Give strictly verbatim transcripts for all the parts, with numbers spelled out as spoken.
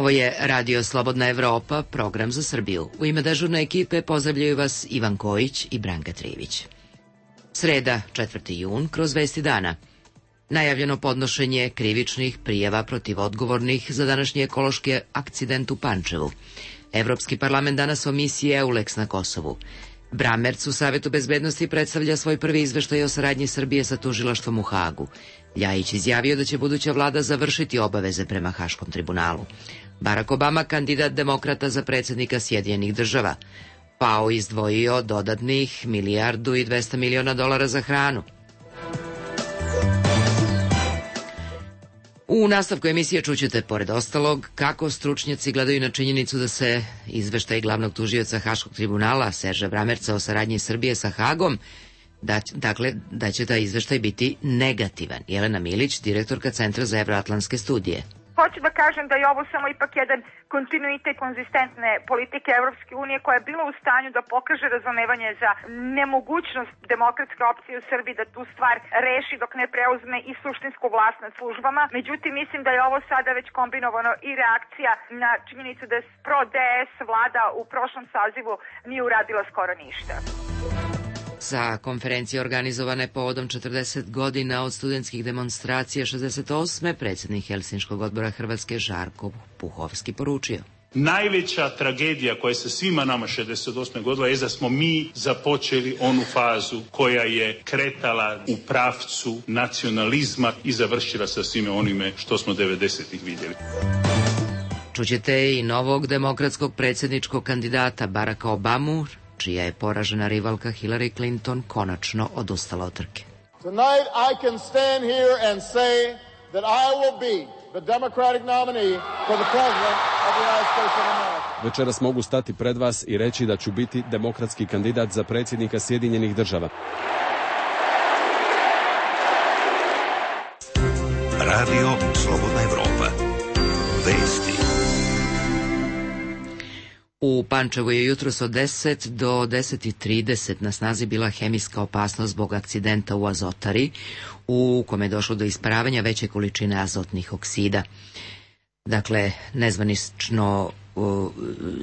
Ovo je Radio Slobodna Evropa, program za Srbiju. U ime dežurne ekipe pozdravljaju vas Ivan Kojić i Branka Trivić. Sreda, četvrti jun, kroz vesti dana. Najavljeno podnošenje krivičnih prijava protiv odgovornih za današnji ekološki akcident u Pančevu. Evropski parlament danas o misiji EULEX na Kosovu. Bramerc u Savetu bezbednosti predstavlja svoj prvi izveštaj o saradnji Srbije sa tužilaštvom u Hagu. Ljajić izjavio da će buduća vlada završiti obaveze prema Haškom tribunalu. Barack Obama, kandidat demokrata za predsjednika Sjedinjenih država. FAO izdvojio dodatnih milijardu i dvesta miliona dolara za hranu. U nastavku emisije čućete, pored ostalog, kako stručnjaci gledaju na činjenicu da se izveštaj glavnog tužioca Haškog tribunala Serža Bramerca o saradnji Srbije sa Hagom, da, dakle, da će taj izveštaj biti negativan. Jelena Milić, direktorka Centra za evroatlantske studije. Hoću da kažem da je ovo samo ipak jedan kontinuitet konzistentne politike Evropske unije koja je bila u stanju da pokaže razumevanje za nemogućnost demokratske opcije u Srbiji da tu stvar reši dok ne preuzme i suštinsku vlast nad službama. Međutim, mislim da je ovo sada već kombinovano i reakcija na činjenicu da je pro-D S vlada u prošlom sazivu nije uradila skoro ništa. Sa konferencije organizovane povodom četrdeset godina od studentskih demonstracija šezdeset osme predsjednik Helsinškog odbora Hrvatske Žarko Puhovski poručio: najveća tragedija koja se svima nama šezdeset osme godila je da smo mi započeli onu fazu koja je kretala u pravcu nacionalizma i završila sa svime onime što smo devedesetih vidjeli. Čućete i novog demokratskog predsjedničkog kandidata Baracka Obamu, čija je poražena rivalka Hillary Clinton konačno odustala od trke. Tonight I can stand here and say that I will be the Democratic nominee for the president of the United States of America. Večeras mogu stati pred vas i reći da ću biti demokratski kandidat za predsjednika Sjedinjenih država. Radio Slobodna Evropa. Vesti. U Pančevu je jutros od deset do deset i trideset na snazi bila hemijska opasnost zbog akcidenta u Azotari, u kome je došlo do isparavanja veće količine azotnih oksida. Dakle, nezvanično uh,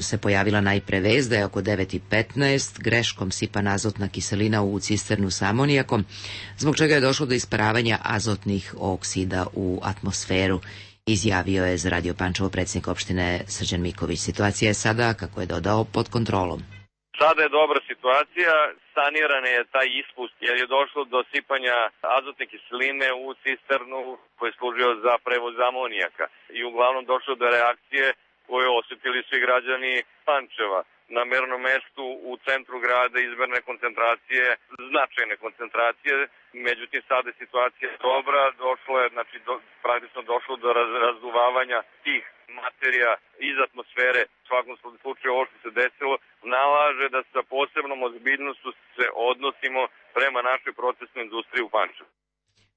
se pojavila najpre vest da je oko devet i petnaest greškom sipana azotna kiselina u cisternu sa amonijakom, zbog čega je došlo do isparavanja azotnih oksida u atmosferu. Izjavio je za Radio Pančevo predsjednik opštine Srđan Miković. Situacija je sada, kako je dodao, pod kontrolom. Sada je dobra situacija, saniran je taj ispust jer je došlo do sipanja azotne kiseline u cisternu koji je služio za prevoz amonijaka. I uglavnom došlo do reakcije koje osjetili svi građani Pančeva. Na mernom mestu u centru grada izmerne koncentracije, značajne koncentracije, međutim sada je situacija dobra, došlo je, znači do, praktično došlo do raz, razduvavanja tih materija iz atmosfere. U svakom slučaju ovo što se desilo nalaže da sa posebnom ozbiljnošću se odnosimo prema našoj procesnoj industriji u Pančevu.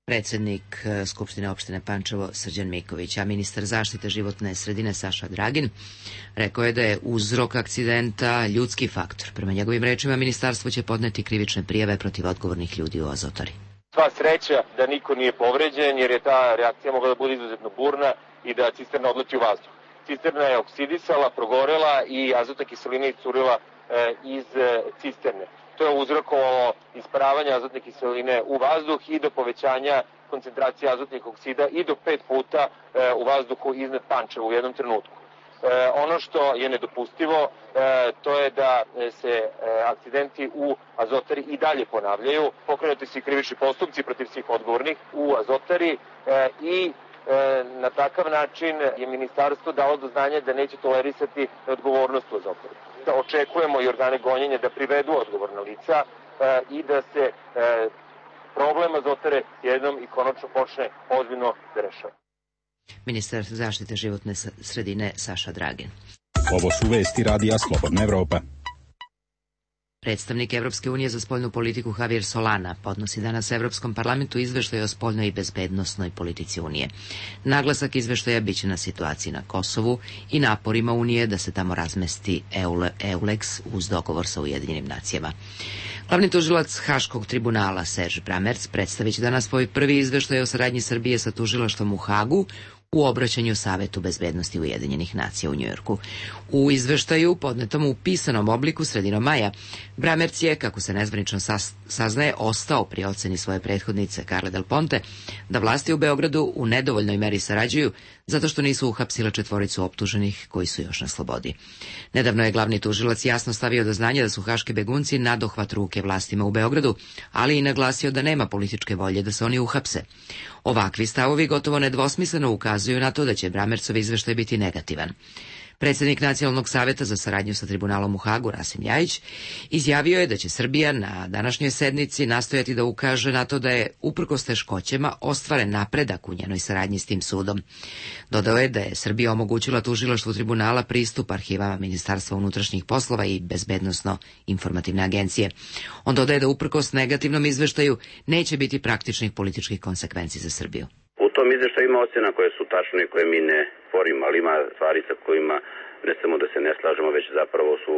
Predsjednik Skupštine opštine Pančevo Srđan Miković, a ministar zaštite životne sredine Saša Dragin rekao je da je uzrok akcidenta ljudski faktor. Prema njegovim rečima, ministarstvo će podneti krivične prijave protiv odgovornih ljudi u Azotari. Sva sreća da niko nije povređen, jer je ta reakcija mogla da bude izuzetno burna i da cisterna odleti u vazduh. Cisterna je oksidisala, progorela i azotna kiselina iscurila e, iz e, cisterne. To je uzrokovalo isparavanje azotne kiseline u vazduh i do povećanja koncentracije azotnih oksida i do pet puta e, u vazduhu iznad Pančeva u jednom trenutku. E, ono što je nedopustivo, e, to je da se e, akcidenti u Azotari i dalje ponavljaju. Pokrenuti su krivični postupci protiv svih odgovornih u Azotari e, i E, na takav način je ministarstvo dalo do znanja da neće tolerisati odgovornost u Azotari. Da očekujemo i organe gonjenja da privedu odgovorna lica e, i da se e, problem Azotare jednom i konačno počne ozbiljno da rešava. Ministar zaštite životne sredine Saša Dragin. Ovo su vesti Radija Slobodna Evropa. Predstavnik Evropske unije za spoljnu politiku Javier Solana podnosi danas Evropskom parlamentu izveštaj o spoljnoj i bezbednosnoj politici Unije. Naglasak izveštaja biće na situaciji na Kosovu i naporima Unije da se tamo razmesti EULEX uz dogovor sa Ujedinjenim nacijama. Glavni tužilac Haškog tribunala Serž Bramerc predstavit će danas svoj prvi izveštaj o saradnji Srbije sa tužilaštvom u Hagu, u obraćanju Savetu bezbednosti Ujedinjenih nacija u Njujorku. U izveštaju, podnetom u pisanom obliku sredinom maja, Bramerc je, kako se nezvanično saznaje, ostao pri oceni svoje prethodnice Carle Del Ponte da vlasti u Beogradu u nedovoljnoj meri sarađuju zato što nisu uhapsile četvoricu optuženih koji su još na slobodi. Nedavno je glavni tužilac jasno stavio do znanja da su haški begunci nadohvat ruke vlastima u Beogradu, ali i naglasio da nema političke volje da se oni uhapse. Ovakvi stavovi gotovo nedvosmisleno ukazuju na to da će Bramercov izveštaj biti negativan. Predsjednik Nacionalnog saveta za saradnju sa tribunalom u Hagu, Rasim Ljajić, izjavio je da će Srbija na današnjoj sednici nastojati da ukaže na to da je, uprkos teškoćama, ostvaren napredak u njenoj saradnji s tim sudom. Dodao je da je Srbija omogućila tužilaštvu tribunala pristup arhivama Ministarstva unutrašnjih poslova i Bezbednosno-informativne agencije. On dodaje da uprkos negativnom izveštaju neće biti praktičnih političkih konsekvenci za Srbiju. U tom izveštaju ima ocjena koje su tačne i koje mi ne sporimo, ali ima stvari sa kojima ne samo da se ne slažemo, već zapravo su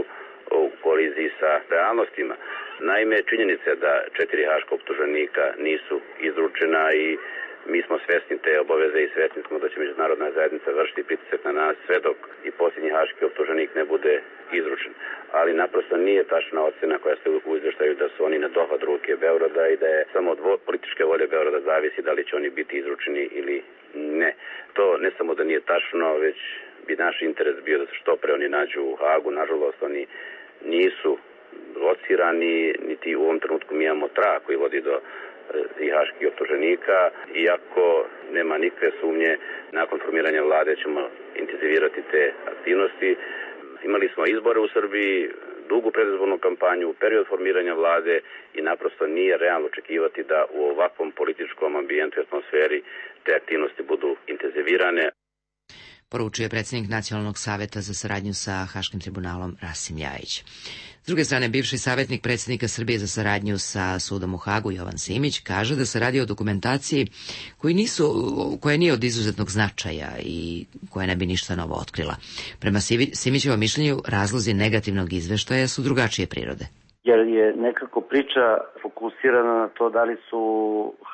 u koliziji sa realnostima. Naime, činjenica je da četiri haška optuženika nisu izručena i mi smo svesni te obaveze i svesni smo da će međunarodna zajednica vršiti pritisak na nas sve dok i posljednji haški optuženik ne bude izručen. Ali naprosto nije tačna ocjena koja se u izveštaju da su oni na dohvat ruke Beograda i da je samo od političke volje Beograda zavisi da li će oni biti izručeni ili ne. To ne samo da nije tačno, već bi naš interes bio da se što pre oni nađu u Hagu. Nažalost, oni nisu locirani, niti u ovom trenutku mi imamo trag koji vodi do i haških optuženika, iako nema nikakve sumnje, nakon formiranja vlade ćemo intenzivirati te aktivnosti. Imali smo izbore u Srbiji, dugu predizbornu kampanju, period formiranja vlade i naprosto nije realno očekivati da u ovakvom političkom ambijentu i atmosferi te aktivnosti budu intenzivirane. Poručuje predsjednik Nacionalnog saveta za saradnju sa Haškim tribunalom Rasim Ljajić. S druge strane, bivši savjetnik predsjednika Srbije za saradnju sa sudom u Hagu, Jovan Simić, kaže da se radi o dokumentaciji koji nisu, koja nije od izuzetnog značaja i koja ne bi ništa novo otkrila. Prema Simićevom mišljenju, razlozi negativnog izveštaja su drugačije prirode. Jer je nekako priča fokusirana na to da li su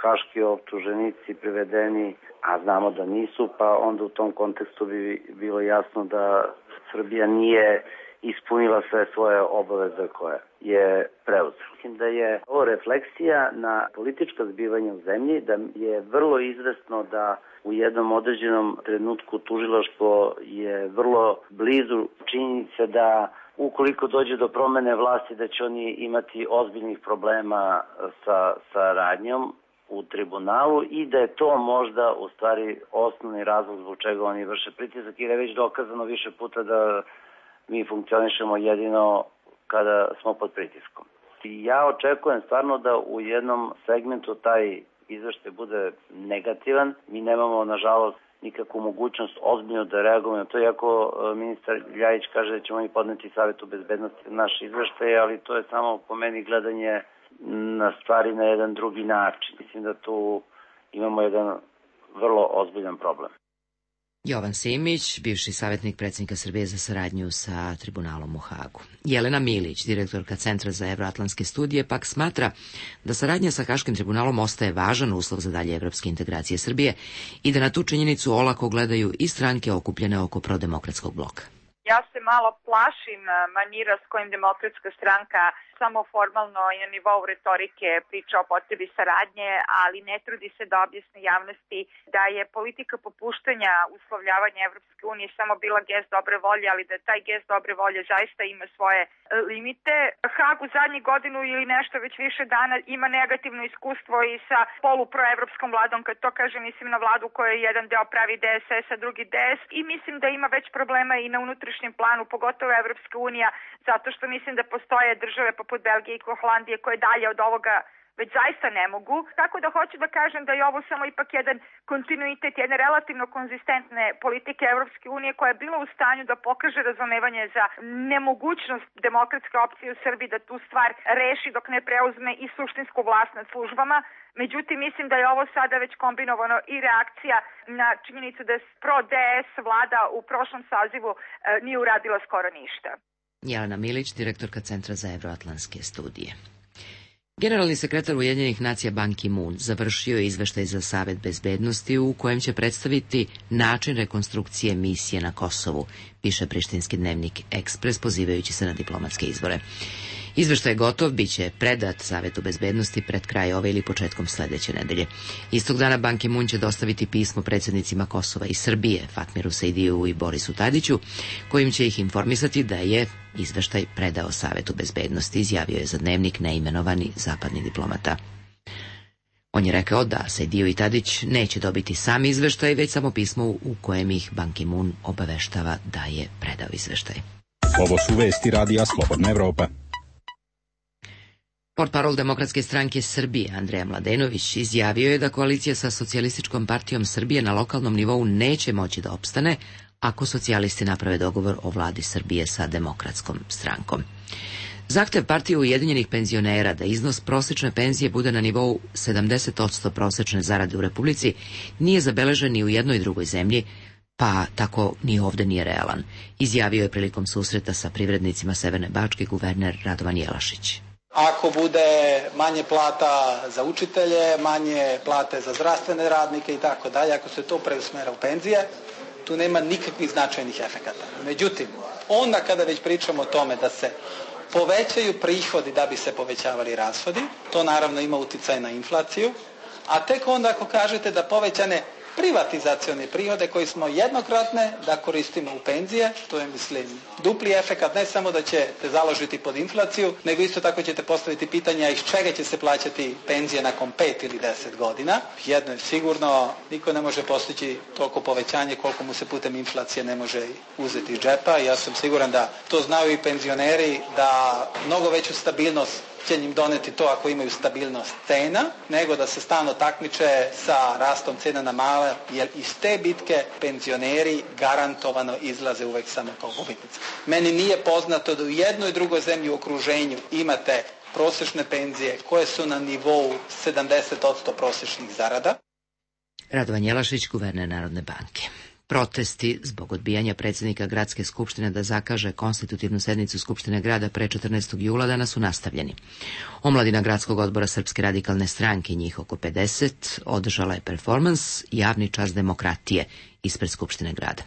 haški optuženici privedeni, a znamo da nisu, pa onda u tom kontekstu bi bilo jasno da Srbija nije ispunila sve svoje obaveze koje je preuzela. Mislim da je ovo refleksija na politička zbivanja u zemlji, da je vrlo izvesno da u jednom određenom trenutku tužilaštvo je vrlo blizu činjenice da ukoliko dođe do promene vlasti da će oni imati ozbiljnih problema sa, sa radnjom u tribunalu i da je to možda u stvari osnovni razlog zbog čega oni vrše pritisak, jer je već dokazano više puta da mi funkcionišemo jedino kada smo pod pritiskom. I ja očekujem stvarno da u jednom segmentu taj izveštaj bude negativan. Mi nemamo, nažalost, nikakvu mogućnost ozbiljno da reagujemo na to, iako ministar Ljajić kaže da ćemo mi podneti Savetu bezbednosti naš izveštaj, ali to je samo po meni gledanje na stvari na jedan drugi način. Mislim da tu imamo jedan vrlo ozbiljan problem. Jovan Simić, bivši savjetnik predsjednika Srbije za saradnju sa tribunalom u Hagu. Jelena Milić, direktorka Centra za evroatlantske studije, pak smatra da saradnja sa Haškim tribunalom ostaje važan uslov za dalje evropske integracije Srbije i da na tu činjenicu olako gledaju i stranke okupljene oko prodemokratskog bloka. Ja se malo plašim manira s kojim Demokratska stranka samo formalno i na nivou retorike priča o potrebi saradnje, ali ne trudi se da objasni javnosti da je politika popuštanja uslovljavanja Evropske unije samo bila gest dobre volje, ali da taj gest dobre volje zaista ima svoje limite. Hag u zadnjih godinu ili nešto već više dana ima negativno iskustvo i sa poluproevropskom vladom, kad to kaže mislim na vladu koja je jedan deo pravi D S S, a drugi D S, i mislim da ima već problema i na unutrašnjem planu, pogotovo Evropska unija, zato što mislim da postoje države poput Belgije i Holandije koje dalje od ovoga već zaista ne mogu. Tako da hoću da kažem da je ovo samo ipak jedan kontinuitet, jedne relativno konzistentne politike Evropske unije koja je bila u stanju da pokaže razumevanje za nemogućnost demokratske opcije u Srbiji da tu stvar reši dok ne preuzme i suštinsku vlast nad službama. Međutim, mislim da je ovo sada već kombinovano i reakcija na činjenicu da pro-D S vlada u prošlom sazivu nije uradila skoro ništa. Jelena Milić, direktorka Centra za evroatlantske studije. Generalni sekretar Ujedinjenih nacija Ban Ki-moon završio je izveštaj za Savet bezbednosti u kojem će predstaviti način rekonstrukcije misije na Kosovu, piše prištinski dnevnik Ekspres pozivajući se na diplomatske izbore. Izveštaj je gotov, bit će predat Savetu bezbednosti pred kraj ove ili početkom sledeće nedelje. Istog dana Ban Ki-moon će dostaviti pismo predsjednicima Kosova i Srbije, Fatmiru Sejdiju i Borisu Tadiću, kojim će ih informisati da je izveštaj predao Savetu bezbednosti, izjavio je za dnevnik neimenovani zapadni diplomata. On je rekao da Sejdiju i Tadić neće dobiti sam izveštaj, već samo pismo u kojem ih Ban Ki-moon obaveštava da je predao izveštaj. Ovo su vesti radija Slobodna Evropa. Portparol Demokratske stranke Srbije Andreja Mladenović izjavio je da koalicija sa Socijalističkom partijom Srbije na lokalnom nivou neće moći da opstane ako socijalisti naprave dogovor o vladi Srbije sa Demokratskom strankom. Zahtev partije Ujedinjenih penzionera da iznos prosečne penzije bude na nivou sedamdeset posto prosečne zarade u Republici nije zabeležen ni u jednoj drugoj zemlji, pa tako ni ovde nije realan, izjavio je prilikom susreta sa privrednicima Severne Bačke guverner Radovan Jelašić. Ako bude manje plata za učitelje, manje plate za zdravstvene radnike i tako dalje, ako se to preusmera u penzije, tu nema nikakvih značajnih efekata. Međutim, onda kada već pričamo o tome da se povećaju prihodi da bi se povećavali rashodi, to naravno ima uticaj na inflaciju, a tek onda ako kažete da povećane privatizacione prihode koji smo jednokratne da koristimo u penzije, to je mislim dupli efekat, ne samo da ćete založiti pod inflaciju, nego isto tako ćete postaviti pitanja iz čega će se plaćati penzije nakon pet ili deset godina. Jedno je sigurno, niko ne može postići toliko povećanje koliko mu se putem inflacije ne može uzeti iz džepa. Ja sam siguran da to znaju i penzioneri, da mnogo veću stabilnost će njim doneti to ako imaju stabilnost cena, nego da se stalno takmiče sa rastom cena na male, jer iz te bitke penzioneri garantovano izlaze uvek samo kao gubitnici. Meni nije poznato da u jednoj i drugoj zemlji u okruženju imate prosečne penzije koje su na nivou sedamdeset posto prosečnih zarada. Radovan Jelašić, guverner Narodne banke. Protesti zbog odbijanja predsjednika Gradske skupštine da zakaže konstitutivnu sednicu Skupštine grada pre četrnaestog jula danas su nastavljeni. Omladina Gradskog odbora Srpske radikalne stranke, njih oko pedeset, održala je performans Javni čas demokratije ispred Skupštine grada.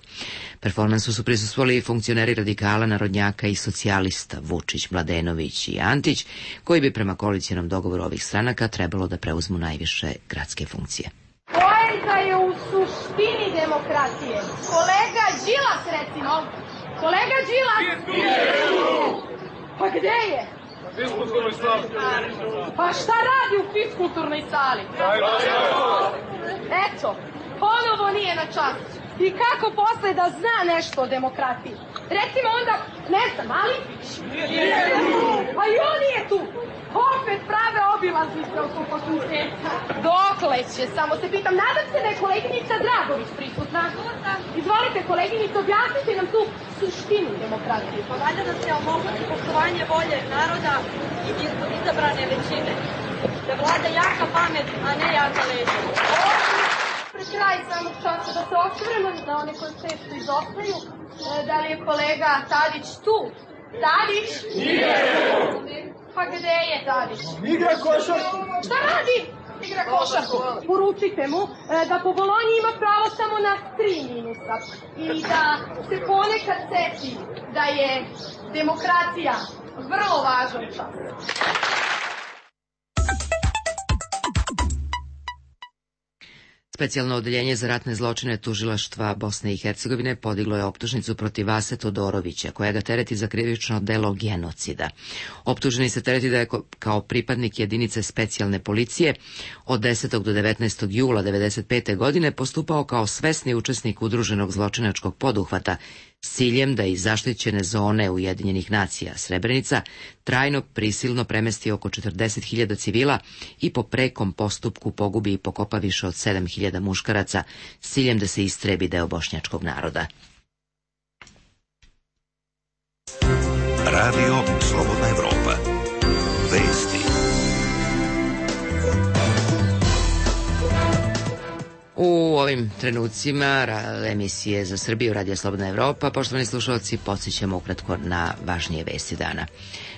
Performansu su prisustvovali i funkcioneri radikala, narodnjaka i socijalista Vučić, Mladenović i Antić, koji bi prema koalicijonom dogovoru ovih stranaka trebalo da preuzmu najviše gradske funkcije. Poenta je u suštini demokratije. Kolega Đilas, recimo. Kolega Đilas! Pa gde je? Na fiskulturnoj sali. Pa šta radi u fiskulturnoj sali? Eto, ponovo nije na času. I kako posle da zna nešto o demokratiji? Recimo onda, ne znam, Malipić. Pa i on je tu. Opet prave obilaznice oko fakulteta. Dokle će, samo se pitam. Nadam se da je koleginica Dragović prisutna. Izvolite, koleginica, objasnite nam tu suštinu demokratije. Pa valjda da se omogući poštovanje volje naroda i izabrane većine. Da vlada jaka pamet, a ne jaka leđa. Pred kraj samog časa da se osvrnemo na one koje često izostaju. Da li je kolega Tadić tu? Tadić? Nije! Pa gde je Tadić? Igra košarku. Šta radi? Igra košarku. Poručite mu da po Bolonji ima pravo samo na tri minusa. I da se ponekad seti da je demokratija vrlo važan čas. Specijalno odeljenje za ratne zločine tužilaštva Bosne i Hercegovine podiglo je optužnicu protiv Vase Todorovića, koja ga tereti za krivično delo genocida. Optuženi se tereti da je kao pripadnik jedinice specijalne policije od desetog do devetnaestog jula devedeset pete. godine postupao kao svesni učesnik udruženog zločinačkog poduhvata s ciljem da iz zaštićene zone Ujedinjenih nacija Srebrenica trajno prisilno premesti oko četrdeset hiljada civila i po prekom postupku pogubi i pokopa više od sedam hiljada muškaraca s ciljem da se istrebi deo bošnjačkog naroda. Radio Slobodna Evropa. Vesti. U ovim trenucima emisije za Srbiju Radija Slobodna Evropa, poštovani slušalci, podsjećamo ukratko na važnije vesti dana.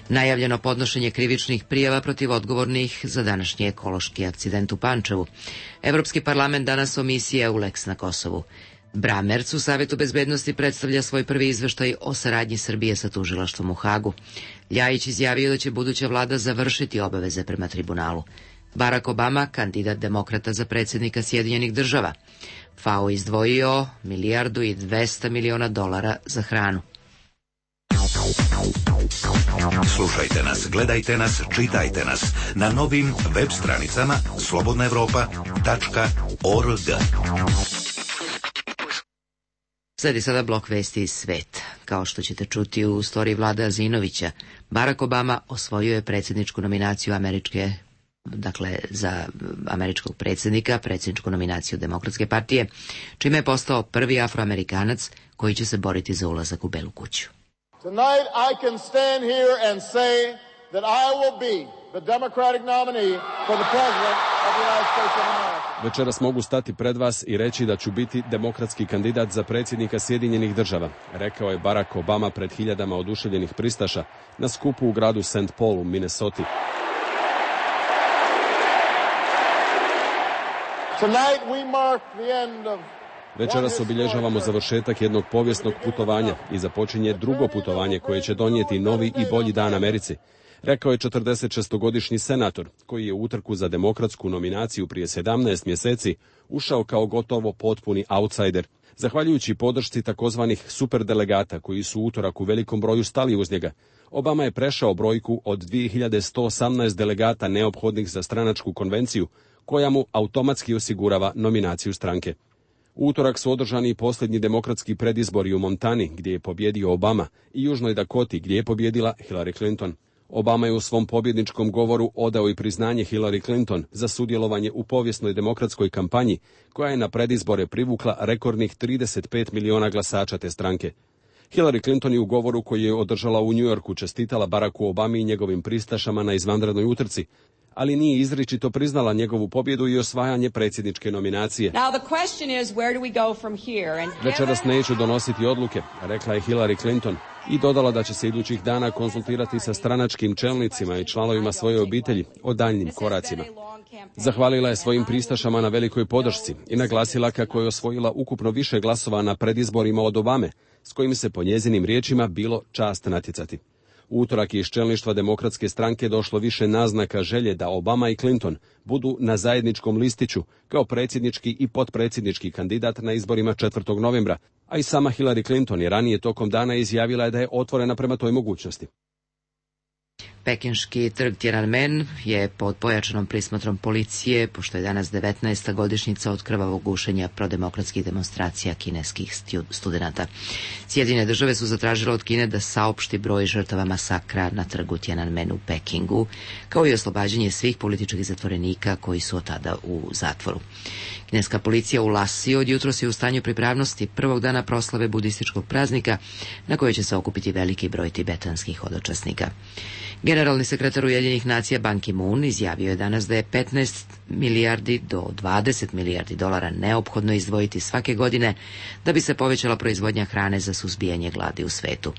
Najavljeno podnošenje krivičnih prijava protiv odgovornih za današnji ekološki akcident u Pančevu. Evropski parlament danas o misiji EULEX na Kosovu. Bramerc u Savetu bezbednosti predstavlja svoj prvi izveštaj o saradnji Srbije sa tužilaštvom u Hagu. Ljajić izjavio da će buduća vlada završiti obaveze prema tribunalu. Barack Obama, kandidat demokrata za predsjednika Sjedinjenih država. F A O izdvojio milijardu i dvesta miliona dolara za hranu. Slušajte nas, gledajte nas, čitajte nas na novim web stranicama slobodna evropa tačka org. Sledi sada blok vesti iz sveta. Kao što ćete čuti u storiji Vlade Azinovića, Barack Obama osvojio je predsjedničku nominaciju američke dakle za američkog predsjednika, predsjedničku nominaciju Demokratske partije, čime je postao prvi Afroamerikanac koji će se boriti za ulazak u Belu kuću. Tonight I can stand here and say that I will be the Democratic nominee for the President of the United States of America. Večeras mogu stati pred vas i reći da ću biti demokratski kandidat za predsjednika Sjedinjenih država, rekao je Barack Obama pred hiljadama oduševljenih pristaša na skupu u gradu Saint Paul u Minnesoti. Tonight we mark the end of Večeras obilježavamo završetak jednog povijesnog putovanja i započinje drugo putovanje koje će donijeti novi i bolji dan Americi, rekao je četrdesetšestogodišnji senator koji je u utrku za demokratsku nominaciju prije sedamnaest mjeseci ušao kao gotovo potpuni outsider. Zahvaljujući podršci takozvanih superdelegata koji su u utorak u velikom broju stali uz njega, Obama je prešao brojku od dvije hiljade sto osamnaest delegata neophodnih za stranačku konvenciju koja mu automatski osigurava nominaciju stranke. U utorak su održani posljednji demokratski predizbori u Montani, gdje je pobjedio Obama, i Južnoj Dakoti, gdje je pobjedila Hillary Clinton. Obama je u svom pobjedničkom govoru odao i priznanje Hillary Clinton za sudjelovanje u povijesnoj demokratskoj kampanji, koja je na predizbore privukla rekordnih trideset pet miliona glasača te stranke. Hillary Clinton je u govoru koji je održala u New Yorku čestitala Baracku Obami i njegovim pristašama na izvanrednoj utrci, ali nije izričito priznala njegovu pobjedu i osvajanje predsjedničke nominacije. Večeras neću donositi odluke, rekla je Hillary Clinton i dodala da će se idućih dana konsultirati sa stranačkim čelnicima i članovima svoje obitelji o daljnjim koracima. Zahvalila je svojim pristašama na velikoj podršci i naglasila kako je osvojila ukupno više glasova na predizborima od Obame, s kojim se po njezinim riječima bilo čast natjecati. U utorak je iz čelništva demokratske stranke došlo više naznaka želje da Obama i Clinton budu na zajedničkom listiću kao predsjednički i potpredsjednički kandidat na izborima četvrtog novembra, a i sama Hillary Clinton je ranije tokom dana izjavila da je otvorena prema toj mogućnosti. Pekinški trg Tiananmen je pod pojačanom prismotrom policije, pošto je danas devetnaesta godišnjica od krvavog gušenja prodemokratskih demonstracija kineskih studenata. Sjedinjene države su zatražile od Kine da saopšti broj žrtava masakra na trgu Tiananmen u Pekingu, kao i oslobađanje svih političkih zatvorenika koji su od tada u zatvoru. Kineska policija u Lasi od jutros je u stanju pripravnosti prvog dana proslave budističkog praznika, na kojoj će se okupiti veliki broj tibetanskih hodočasnika. Generalni sekretar Ujedinjenih nacija Ban Ki-moon izjavio je danas da je petnaest milijardi do dvadeset milijardi dolara neophodno izdvojiti svake godine da bi se povećala proizvodnja hrane za suzbijanje gladi u svetu.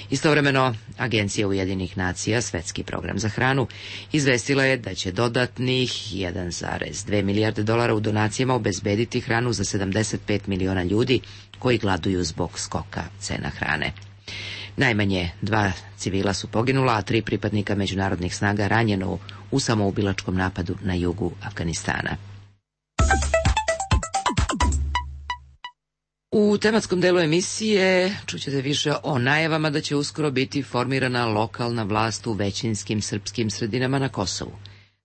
Istovremeno, Agencija Ujedinjenih nacija, Svetski program za hranu, izvestila je da će dodatnih jedan zarez dve milijarde dolara u donacijama obezbediti hranu za sedamdeset pet miliona ljudi koji gladuju zbog skoka cena hrane. Najmanje dva civila su poginula, a tri pripadnika međunarodnih snaga ranjeno u samoubilačkom napadu na jugu Afganistana. U tematskom delu emisije čućete više o najavama da će uskoro biti formirana lokalna vlast u većinskim srpskim sredinama na Kosovu,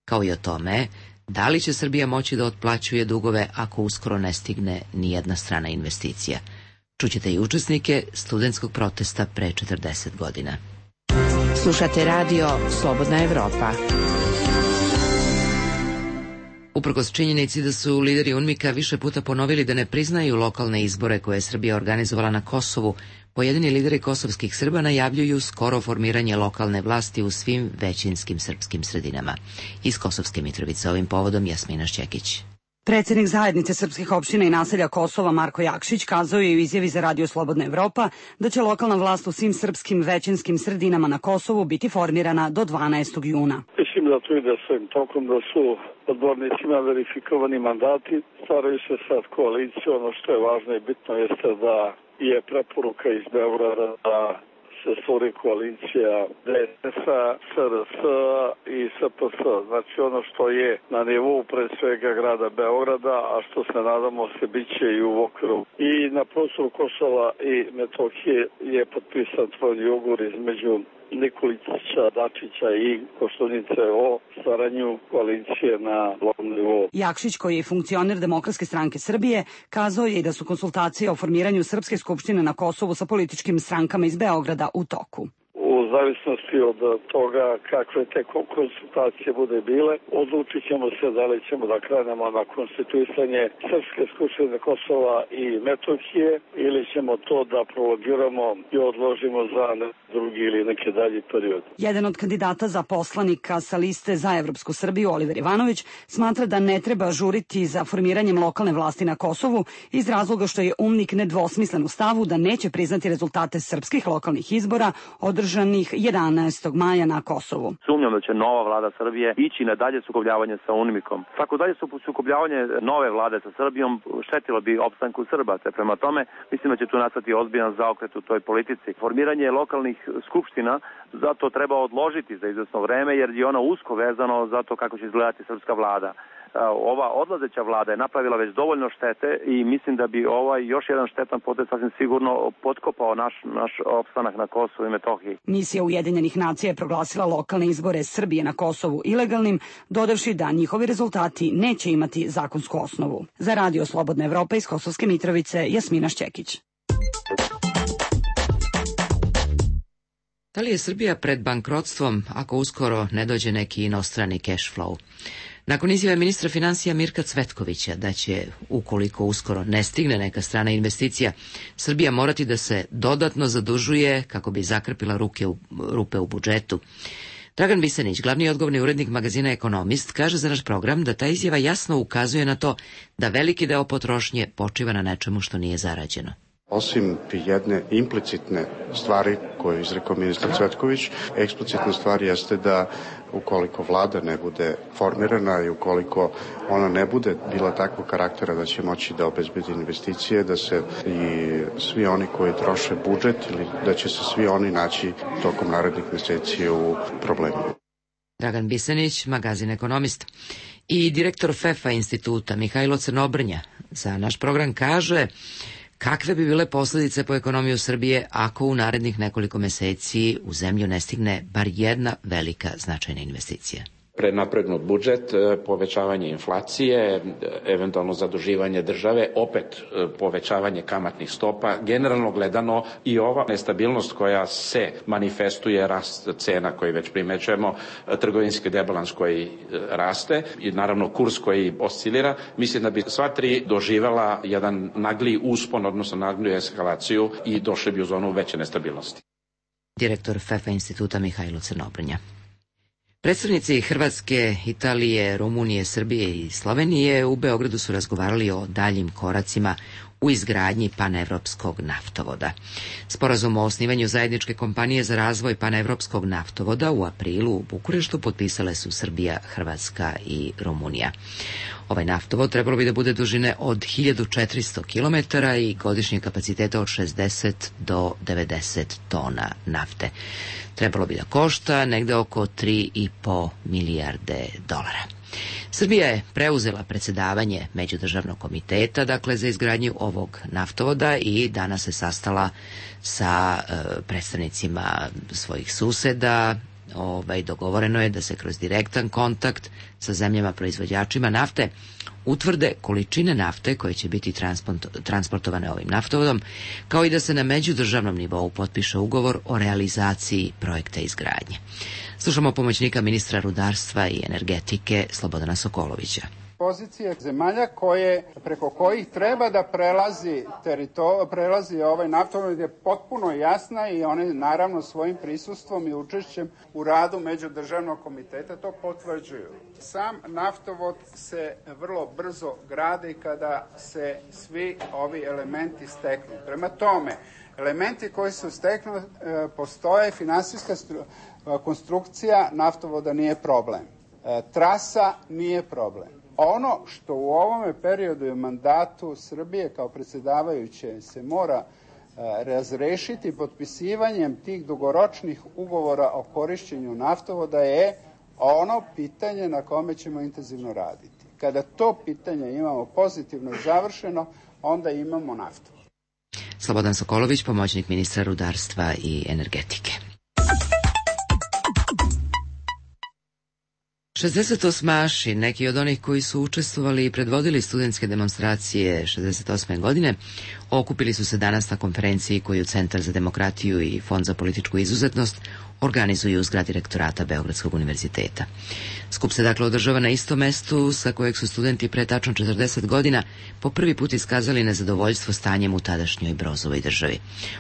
kao i o tome da li će Srbija moći da otplaćuje dugove ako uskoro ne stigne nijedna strana investicija. Čućete i učesnike studentskog protesta pre četrdeset godina. Slušate radio Slobodna Evropa. Uprkos činjenici da su lideri UNMIK-a više puta ponovili da ne priznaju lokalne izbore koje je Srbija organizovala na Kosovu, pojedini lideri kosovskih Srba najavljuju skoro formiranje lokalne vlasti u svim većinskim srpskim sredinama. Iz Kosovske Mitrovice ovim povodom Jasmina Šćekić. Predsjednik zajednice srpskih opština i naselja Kosova Marko Jakšić kazao je u izjavi za Radio Slobodna Evropa da će lokalna vlast u svim srpskim većinskim sredinama na Kosovu biti formirana do dvanaestog juna. Mislim da to ide svojim tokom, da su odbornicima verifikovani mandati, stvaraju se sad koalicije. Ono što je važno i bitno jeste da je preporuka iz Beograda da se stvori koalicija D S A, S R S i S P S. Znači ono što je na nivou pre svega grada Beograda, a što se nadamo se biće i u okviru. I na prostoru Kosova i Metohije je potpisan tvojni ugovor između Nikolića, Dačića i Koštunice o stvaranju koalicije na lokalnom nivou. Jakšić, koji je funkcioner Demokratske stranke Srbije, kazao je i da su konsultacije o formiranju Srpske skupštine na Kosovu sa političkim strankama iz Beograda u toku. U zavisnosti od toga kakve te konsultacije bude bile, odlučit ćemo se da li ćemo da krenemo na konstituisanje Srpske skupštine Kosova i Metohije ili ćemo to da prolongiramo i odložimo za drugi ili neki dalji period. Jedan od kandidata za poslanika sa liste za Evropsku Srbiju, Oliver Ivanović, smatra da ne treba žuriti za formiranjem lokalne vlasti na Kosovu iz razloga što je UMNIK nedvosmislen u stavu da neće priznati rezultate srpskih lokalnih izbora održanih jedanaestog maja na Kosovu. Sumnjam da će nova vlada Srbije ići na dalje sukobljavanje sa UNMIK-om. Svako dalje sukobljavanje nove vlade sa Srbijom štetilo bi opstanku Srba. Te prema tome, mislim da će tu nastati ozbiljan zaokret u toj politici. Formiranje lokalnih skupština zato treba odložiti za izvesno vreme, jer je ono usko vezano za to kako će izgledati srpska vlada. Ova odlazeća vlada je napravila već dovoljno štete i mislim da bi ovaj još jedan štetan potez sasvim sigurno potkopao naš, naš opstanak na Kosovu i Metohiji. Misija Ujedinjenih nacija je proglasila lokalne izbore Srbije na Kosovu ilegalnim, dodavši da njihovi rezultati neće imati zakonsku osnovu. Za Radio Slobodna Evropa iz Kosovske Mitrovice, Jasmina Šćekić. Da li je Srbija pred bankrotstvom ako uskoro ne dođe neki inostrani cash flow? Nakon izjave ministra financija Mirka Cvetkovića da će, ukoliko uskoro ne stigne neka strana investicija, Srbija morati da se dodatno zadužuje kako bi zakrpila ruke u, rupe u budžetu, Dragan Bisenić, glavni odgovorni urednik magazina Ekonomist, kaže za naš program da ta izjava jasno ukazuje na to da veliki deo potrošnje počiva na nečemu što nije zarađeno. Osim jedne implicitne stvari koju je izrekao ministar Cvetković, eksplicitna stvar jeste da ukoliko vlada ne bude formirana i ukoliko ona ne bude bila takvog karaktera da će moći da obezbedi investicije, da se i svi oni koji troše budžet ili da će se svi oni naći tokom narednih meseci u problemu. Dragan Bisenić, magazin Ekonomist. I direktor F E F A instituta Mihajlo Crnobrnja za naš program kaže kakve bi bile posljedice po ekonomiju Srbije ako u narednih nekoliko meseci u zemlju ne stigne bar jedna velika značajna investicija. Prenapregnut budžet, povećavanje inflacije, eventualno zaduživanje države, opet povećavanje kamatnih stopa, generalno gledano i ova nestabilnost koja se manifestuje, rast cena koji već primećujemo, trgovinski debalans koji raste i naravno kurs koji oscilira, mislim da bi sva tri doživela jedan nagli uspon, odnosno nagliju eskalaciju i došli bi u zonu veće nestabilnosti. Direktor F E F A instituta Mihajlo Crnobrnja. Predstavnici Hrvatske, Italije, Rumunije, Srbije i Slovenije u Beogradu su razgovarali o daljim koracima u izgradnji panevropskog naftovoda. Sporazum o osnivanju zajedničke kompanije za razvoj panevropskog naftovoda u aprilu u Bukureštu potpisale su Srbija, Hrvatska i Rumunija. Ovaj naftovod trebalo bi da bude dužine od hiljadu četiristo kilometara i godišnjeg kapaciteta od šezdeset do devedeset tona nafte. Trebalo bi da košta negde oko tri i po milijarde dolara. Srbija je preuzela predsjedavanje Međudržavnog komiteta, dakle za izgradnju ovog naftovoda i danas se sastala sa e, predstavnicima svojih suseda. Ovaj, dogovoreno je da se kroz direktan kontakt sa zemljama proizvođačima nafte utvrde količine nafte koje će biti transportovane ovim naftovodom, kao i da se na međudržavnom nivou potpiše ugovor o realizaciji projekta izgradnje. Slušamo pomoćnika ministra rudarstva i energetike Slobodana Sokolovića. pozicije zemalja koje, preko kojih treba da prelazi, terito, prelazi ovaj naftovod je potpuno jasna i one naravno svojim prisustvom i učešćem u radu Međudržavnog komiteta to potvrđuju. Sam naftovod se vrlo brzo gradi kada se svi ovi elementi steknu. Prema tome, elementi koji su steknu e, postoje, finansijska stru, konstrukcija naftovoda nije problem. E, trasa nije problem. Ono što u ovome periodu i mandatu Srbije kao predsjedavajuće se mora e, razrešiti potpisivanjem tih dugoročnih ugovora o korišćenju naftovoda je ono pitanje na kome ćemo intenzivno raditi. Kada to pitanje imamo pozitivno završeno, onda imamo naftu. Slobodan Sokolović, pomoćnik ministra rudarstva i energetike. šezdesetosmaši, neki od onih koji su učestvovali i predvodili studentske demonstracije šezdeset osme godine, okupili su se danas na konferenciji koju Centar za demokratiju i Fond za političku izuzetnost organizuju u zgradi rektorata Beogradskog univerziteta. Skup se dakle održava na istom mestu sa kojeg su studenti pre tačno četrdeset godina po prvi put iskazali nezadovoljstvo stanjem u tadašnjoj Brozovoj državi.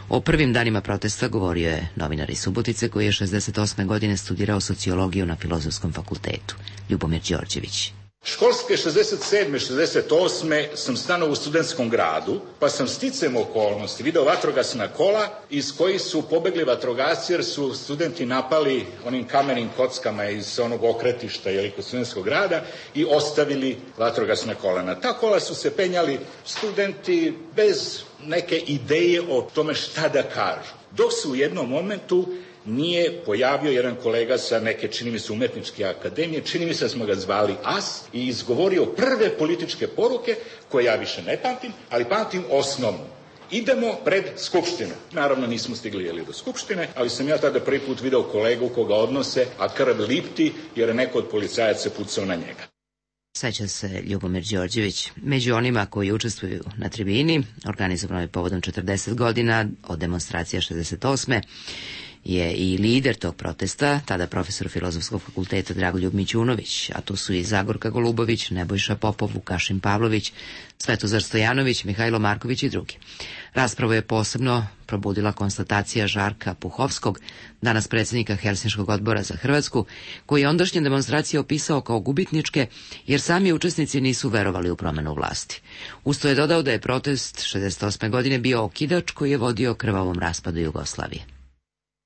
O prvim danima protesta govorio je novinar iz Subotice koji je šezdeset osme godine studirao sociologiju na Filozofskom fakultetu, Ljubomir Đorđević. Školske šezdeset sedme šezdeset osme sam stanovao u studentskom gradu, pa sam sticem okolnosti video vatrogasna kola iz kojih su pobegli vatrogasci jer su studenti napali onim kamenim kockama iz onog okretišta ili kod studentskog grada i ostavili vatrogasna kola. Na ta kola su se penjali studenti bez neke ideje o tome šta da kažu. Dok su u jednom momentu nije pojavio jedan kolega sa neke, čini mi se, umetničke akademije, čini mi se da smo ga zvali As, i izgovorio prve političke poruke koje ja više ne pamtim, ali pamtim osnovnu. Idemo pred Skupštinu. Naravno nismo stigli jeli do Skupštine, ali sam ja tada prvi put video kolegu koga odnose, a krv lipti jer je neko od policajaca pucao na njega. Seća se Ljubomir Đorđević. Među onima koji učestvuju na tribini, organizovanoj povodom četrdeset godina od demonstracija šezdeset osme je i lider tog protesta, tada profesor Filozofskog fakulteta Dragoljub Mićunović, a tu su i Zagorka Golubović, Nebojša Popov, Vukašin Pavlović, Svetozar Stojanović, Mihajlo Marković i drugi. Raspravu je posebno probudila konstatacija Žarka Puhovskog, danas predsjednika Helsinškog odbora za Hrvatsku, koji je ondašnje demonstracije opisao kao gubitničke, jer sami učesnici nisu verovali u promenu vlasti. Usto je dodao da je protest šezdeset osme godine bio okidač koji je vodio krvavom raspadu Jugoslavije.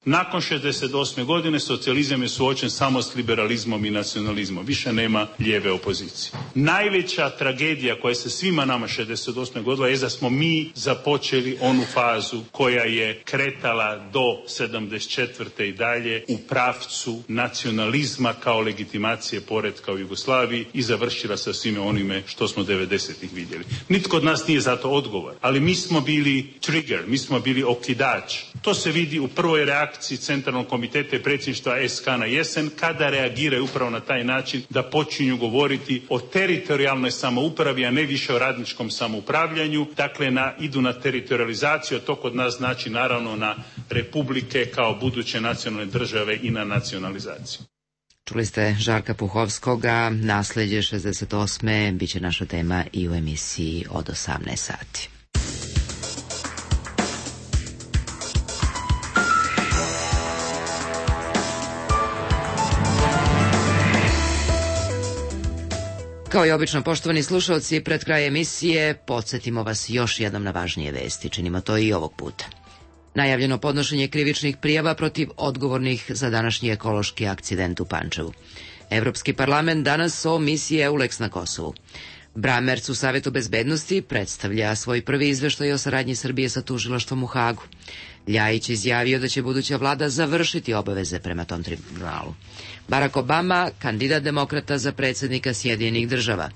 Nakon šezdeset osme godine socijalizam je suočen samo s liberalizmom i nacionalizmom. Više nema lijeve opozicije. Najveća tragedija koja se svima nama šezdeset osme godila je da smo mi započeli onu fazu koja je kretala do sedamdeset četvrte i dalje u pravcu nacionalizma kao legitimacije poretka u Jugoslaviji i završila sa svime onime što smo devedesetih vidjeli. Nitko od nas nije za to odgovoran, ali mi smo bili trigger, mi smo bili okidač. To se vidi u prvoj reakciji Centralnog komiteta i predsjedništva S K na jesen, kada reagiraju upravo na taj način da počinju govoriti o teritorijalnoj samoupravi, a ne više o radničkom samoupravljanju. Dakle, na, idu na teritorializaciju, a to kod nas znači naravno na republike kao buduće nacionalne države i na nacionalizaciju. Čuli ste Žarka Puhovskoga, nasleđe šezdeset osme biće naša tema i u emisiji od osamnaest sati. Kao i obično, poštovani slušalci, pred kraj emisije podsjetimo vas još jednom na važnije vesti. Činimo to i ovog puta. Najavljeno podnošenje krivičnih prijava protiv odgovornih za današnji ekološki akcident u Pančevu. Evropski parlament danas o misiji EULEX na Kosovu. Bramerc u Savetu bezbednosti predstavlja svoj prvi izveštaj o saradnji Srbije sa tužilaštvom u Hagu. Ljajić izjavio da će buduća vlada završiti obaveze prema tom tribunalu. Barack Obama, kandidat demokrata za predsjednika Sjedinjenih država.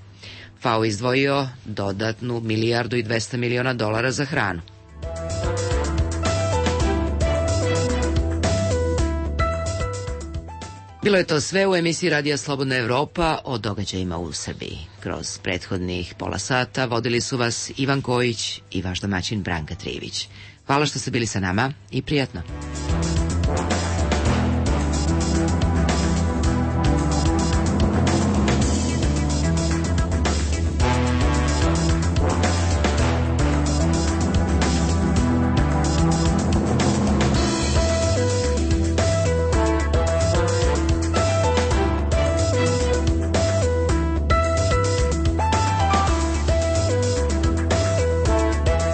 F A O izdvojio dodatnu milijardu i dvesta miliona dolara za hranu. Bilo je to sve u emisiji Radija Slobodna Evropa o događajima u Srbiji. Kroz prethodnih pola sata vodili su vas Ivan Kojić i vaš domaćin Branka Trivić. Hvala što ste bili sa nama i prijatno.